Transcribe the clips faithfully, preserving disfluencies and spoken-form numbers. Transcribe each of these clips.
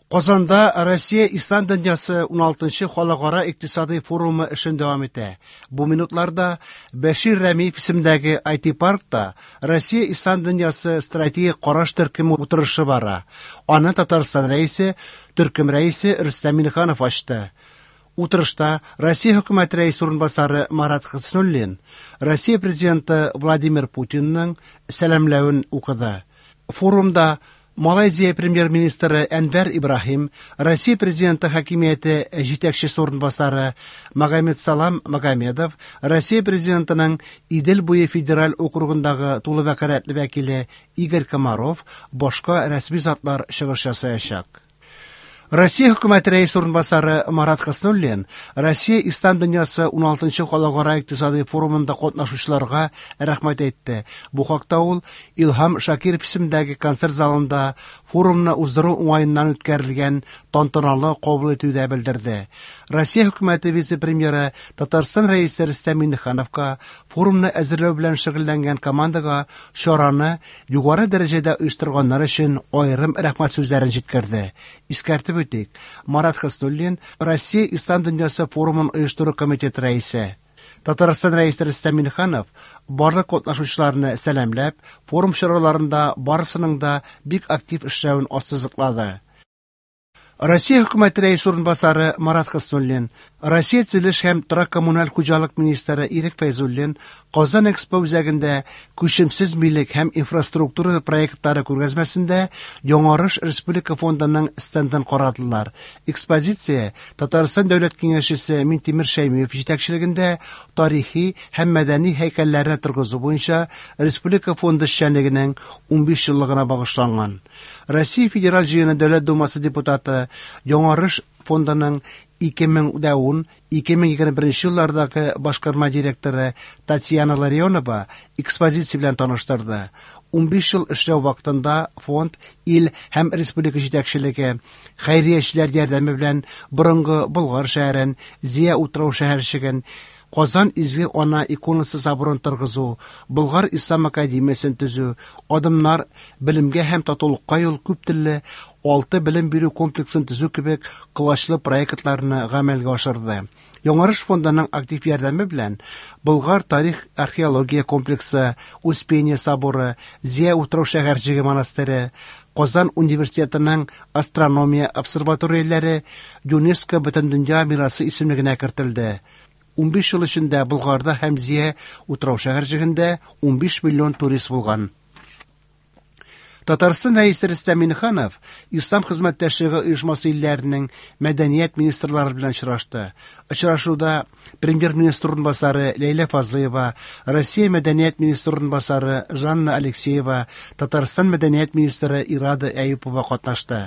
Казанда Россия Ислам дөньясы уналтынчы халыкара икътисади форумы эшен дәвам итә. Бу минутларда Бәшир Рәмиев исемендәге ай ти-паркта Россия Ислам дөньясы стратегик караш төркеме утырышы бара. Аны Татарстан рәисе, төркем рәисе Рөстәм Миңнеханов ачты. Утырышта Россия хөкүмәте рәисе урынбасары Марат Хөснуллин Россия президенты Владимир Путинның сәламләвен укыды. Форумда Малайзия премьер-министры Әнвәр Ибраһим, Россия президенты хакимияте җитәкчесе урынбасары Магомедсалам Магомедов, Россия президентының Идел буе федераль округындагы тулы вәкаләтле вәкиле Игорь Комаров, башка рәсми затлар чыгыш ясаячак. Россия хөкүмәте рәисе урынбасары Марат Хөснуллин Россия Ислам дөньясы уналтынчы халыкара икътисади форумында катнашучыларга рәхмәт әйтте. Бу хакта ул Илһам Шакиров исемендәге концерт залында форумны уздыру уңаеннан үткәрелгән тантаналы кабул итүдә белдерде. Россия хөкүмәте вице-премьеры Татарстан рәисе Рөстәм Миңнехановка форумны әзерләү белән шөгыльләнгән командага чараны югары дәрәҗәдә оештырганнар өчен аерым рәхмәт сүзләрен җиткерде. Искәртеп үтик, Марат Хөснуллин Россия Ислам дөньясы форумын оештыру комитеты рәисе. Татарстан рәисе Рөстәм Миңнеханов барлык катнашучыларны сәламләп, форум чараларында барысының да бик актив эшләвен ассызыклады. Россия хөкүмәте рәисе урынбасары Марат Хөснуллин, Россия төзелеш һәм торак коммуналь хуҗалык министры Ирек Фәйзуллин Казан Экспо үзәгендә күчемсез милек һәм инфраструктура проектлары күргәзмәсендә Яңарыш Республика фондының стендын карадылар. Экспозиция Татарстан Дәүләт Киңәшчесе Минтимер Шәймиев җитәкчелегендә тарихи һәм мәдәни һәйкәлләрне торгызу буенча Республика фонды эшчәнлегенең унбиш еллыгына багышланган. Россия Федераль Җыены Дәүләт Думасы депутаты Яңарыш фондының ике мең дә ун, ике мең егерме беренче еллардагы башкарма директоры Татьяна Ларионова экспозиция белән таныштырды. Унбиш ел эшләү вакытында фонд ил һәм республика җитәкчелеге хәйриячеләр ярдәме белән борынгы Болгар шәһәрен, Зөя утрау шәһәрчеген, Казан Изге Ана иконасы соборын торгызу, Болгар Ислам академиясен төзү, адымнар белемгә һәм татулыкка юл күп телле алты белем бирү комплексын төзү кебек колачлы проектларны гамәлгә ашырды. Яңарыш фондының актив ярдәме белән Болгар тарих археология комплексы, Успение соборы, Зөя утрау шәһәрчеге монастыре, Казан университетының астрономия обсерваторияләре ЮНЕСКО Бөтендөнья мирасы исемлегенә кертелде. Унбиш ел эчендә Болгарда һәм Зөя утрау шәһәрчегендә унбиш миллион турист булган. Татарстан рәисе Рөстәм Миңнеханов Ислам хезмәттәшлеге оешмасы илләренең мәдәният министрлары белән очрашты. Очрашуда премьер-министр урынбасары Ләйлә Фазлыева, Россия мәдәният министры урынбасары Жанна Алексеева, Татарстан мәдәният министры Ирада Әюпова катнашты.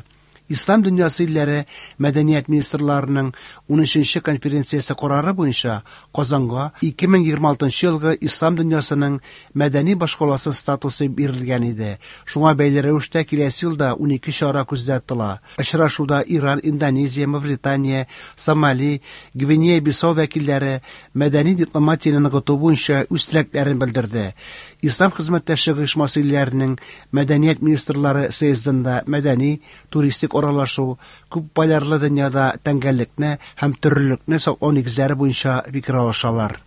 Ислам дөньясы илләре мәдәният министрларының унөченче конференциясе карары буенча Казанга ике мең егерме алтынчы елгы Ислам дөньясының мәдәни башкаласы статусы бирелгән иде. Шуңа бәйле рәвештә киләсе елда унике чара күздә тотыла. Очрашуда Иран, Индонезия, Мавритания, Сомали, Гвинея-Бисау вәкилләре мәдәни дипломатияне ныгыту буенча үз теләкләрен белдерде. Ислам хезмәттәшлеге оешмасы илләренең мәдәният министрлары съездында мәдәни, туристик аралашу, күп полярлы дөньяда тәңгәллекне һәм төрлелекне саклау нигезләре буенча фикер алышалар.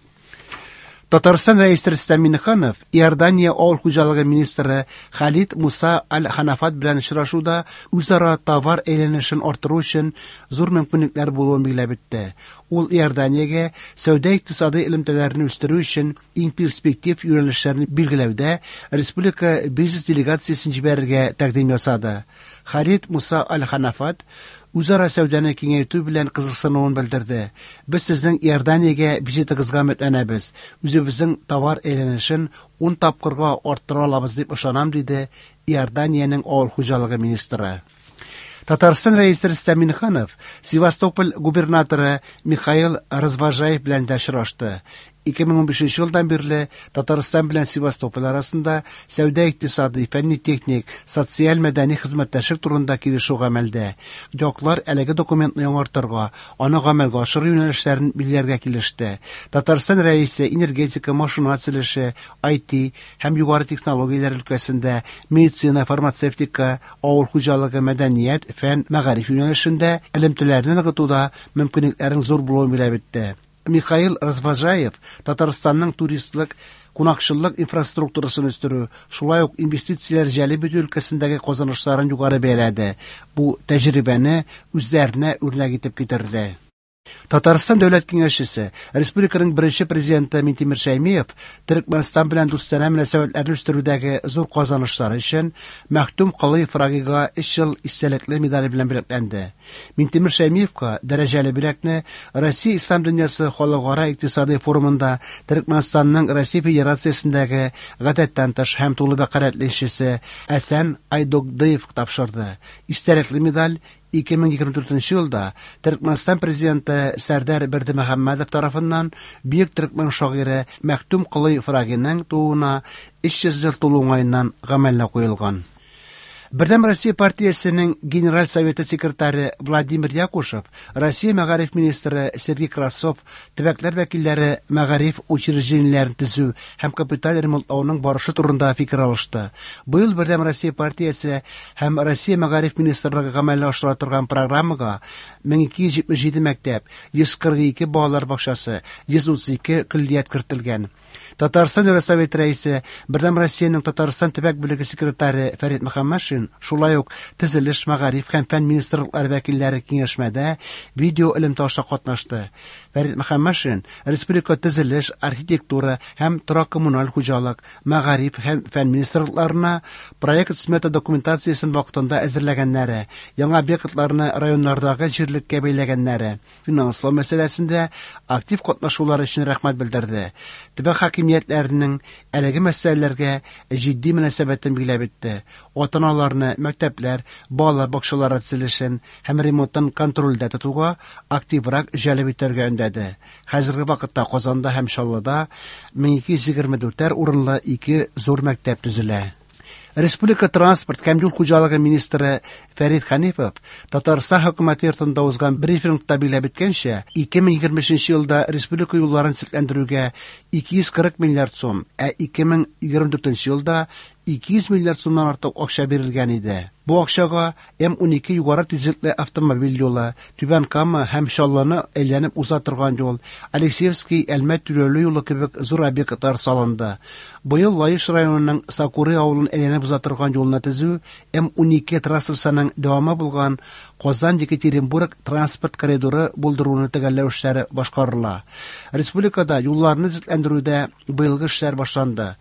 Татарстан рәисе Рөстәм Миңнеханов Иордания авыл хуҗалыгы министры Халид Муса Аль-Ханафат белән очрашуда үзара товар әйләнешен арттыру өчен зур мөмкинлекләр булуын билгеләп үтте. Ул Иорданиягә сәүдә-икътисади элемтәләрне үстерү өчен иң перспектив юнәлешләрне билгеләүдә республика бизнес делегациясен җибәрергә тәкъдим ясады. Халид Муса Аль-Ханафат үзара сәүдәне киңәйтү белән кызыксынуын белдерде. Без сезнең Иорданиягә визитыгызга өметләнәбез. Үзебезнең товар әйләнешен ун тапкырга арттыра алабыз дип ышанам, диде Иорданиянең авыл хуҗалыгы министры. Татарстан рәисе Рөстәм Миңнеханов Севастополь губернаторы Михаил Развожаев белән дә очрашты. ике мең унбишенче елдан бирле Татарстан белән Севастополь арасында сәүдә-икътисади, фәнни-техник, социаль-мәдәни хезмәттәшлек турында килешү гамәлдә. Яклар әлеге документны яңартырга, аны гамәлгә ашыру юнәлешләрен билгеләргә килеште. Татарстан Рәисе энергетика, машина төзелеше, ай ти һәм югары технологияләр өлкәсендә, медицина, фармацевтика, авыл хуҗалыгы, мәдәният, фән, мәгариф юнәлешендә элемтәләрне ныгытуда мөмкинлекләрнең зур булуын билгеләп үтте. Михаил Развожаев Татарстанның туристлык, кунакчыллык инфраструктурасын үстерү, шулай ук инвестицияләр җәлеп итү өлкәсендәге казанышларын югары бәяләде. Бу тәҗрибәне үзләренә үрнәк итеп китерде. Татарстан дәүләт киңәшчесе, республиканың беренче президенты Минтимер Шәймиев Төркмәнстан белән дустанә мөнәсәбәтләрне үстерүдәге зур казанышлары өчен Мәхтүм Колый Фрагига өч ел истәлекле медале белән бүләкләнде. Минтимер Шәймиевка дәрәҗәле бүләкне Россия Ислам дөньясы халыкара икътисади форумында Төркмәнстанның Россия Федерациясендәге гадәттән тыш һәм тулы вәкаләтле илчесе Әсән Айдогдыев тапшырды. Истәлекле медаль ике мең егерме дүртенче елда Төркмәнстан президенты Сәрдәр Бердымөхәммәдов тарафыннан бөек төркмән шагыйре Мәхтүм Колый Фрагиның тууына өч йөз ел тулу уңаеннан гамәлгә куелган. Бердәм Россия партиясенең Генераль советы секретаре Владимир Якушев, Россия мәгариф министры Сергей Кравцов төбәкләр вәкилләре мәгариф учреждениеләрен төзү һәм капиталь ремонтлауның барышы турында фикер алышты. Быел Бердәм Россия партиясе һәм Россия мәгариф министрлыгы гамәлгә ашыра торган программага мең ике йөз җитмеш җиде мәктәп, йөз кырык ике балалар бакчасы, йөз утыз ике көллият кертелгән. Татарстан Дәүләт Советы рәисе, Бердәм Россиянең Татарстан төбәк бүлеге секретаре Фәрит Мөхәммәтшин шулай ук төзелеш, мәгариф һәм фән министрлыклары вәкилләре киңәшмәдә видео элемтә аша катнашты. Фәрит Мөхәммәтшин республика төзелеш, архитектура һәм торак-коммуналь хуҗалык, мәгариф һәм фән министрлыкларына проект-смета документациясен вакытында әзерләгәннәре, яңа объектларны районнардагы җирлеккә бәйләгәннәре, финанслау мәсьәләсендә актив катнашулары өчен рәхмәт белдерде. Төбәк хакимиятләренең әлеге мәсьәләләргә җитди мөнәсәбәтен билгеләп үтте. Ата-аналарны мәктәпләр, балалар бакчалары төзелешен һәм ремонтын контрольдә тотуга активрак җәлеп итәргә өндәде. Хәзерге вакытта Казанда һәм Чаллыда мең ике йөз егерме дүртәр урынлы ике зур мәктәп төзелә. Республика транспорт һәм юл хуҗалыгы министры Фәрит Хәнифов Татарстан хөкүмәте йортында узган брифингта билгеләп үткәнчә, ике мең егерме өченче елда республика юлларын төзекләндерүгә ике йөз кырык миллиард сум, ә ике мең егерме дүртенче елда ике йөз миллиард сумнан артык акча бирелгән иде. Бу акчага М унике югары тизлекле автомобиль юлы, Түбән Кама һәм Чаллыны әйләнеп уза торган юл, Алексеевский Әлмәт түләүле юлы кебек зур объектлар салынды. Быел Лаеш районының Сакуры авылын әйләнеп уза торган юлны төзү М унике трассасының дәвамы булган Казан-Екатеринбург транспорт коридоры булдыруны төгәлләү эшләре башкарыла. Республикада юлларны төзекләндерүдә быелгы эшләр башланды.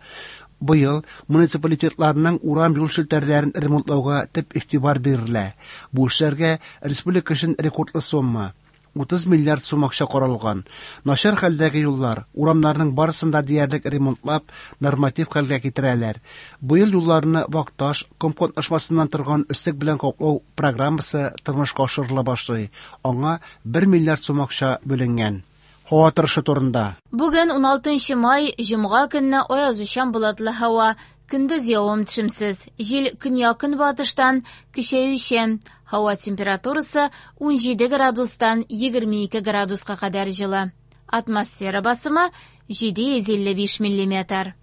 Быел муниципалитетларның урам юл челтәрләрен ремонтлауга төп игътибар бирелә. Бу эшләргә республика өчен рекордлы сумма утыз миллиард сум акча каралган. Начар хәлдәге юллар, урамнарның барысын да диярлек ремонтлап, норматив хәлгә китерәләр. Быел юлларны вак таш, ком катнашмасыннан торган өслек белән каплау программасы тормышка ашырыла башлый. Аңа бер миллиард сум акча бүленгән. Һава торышы турында. Бүген уналтынчы май, җомга көнне аязучан болытлы һава, көндез явым-төшемсез, җил көньяк-көнбатыштан көчәючән. Һава температурасы унҗиде градустан егерме ике градуска кадәр җылы. Атмосфера басымы җиде йөз илле биш миллиметр.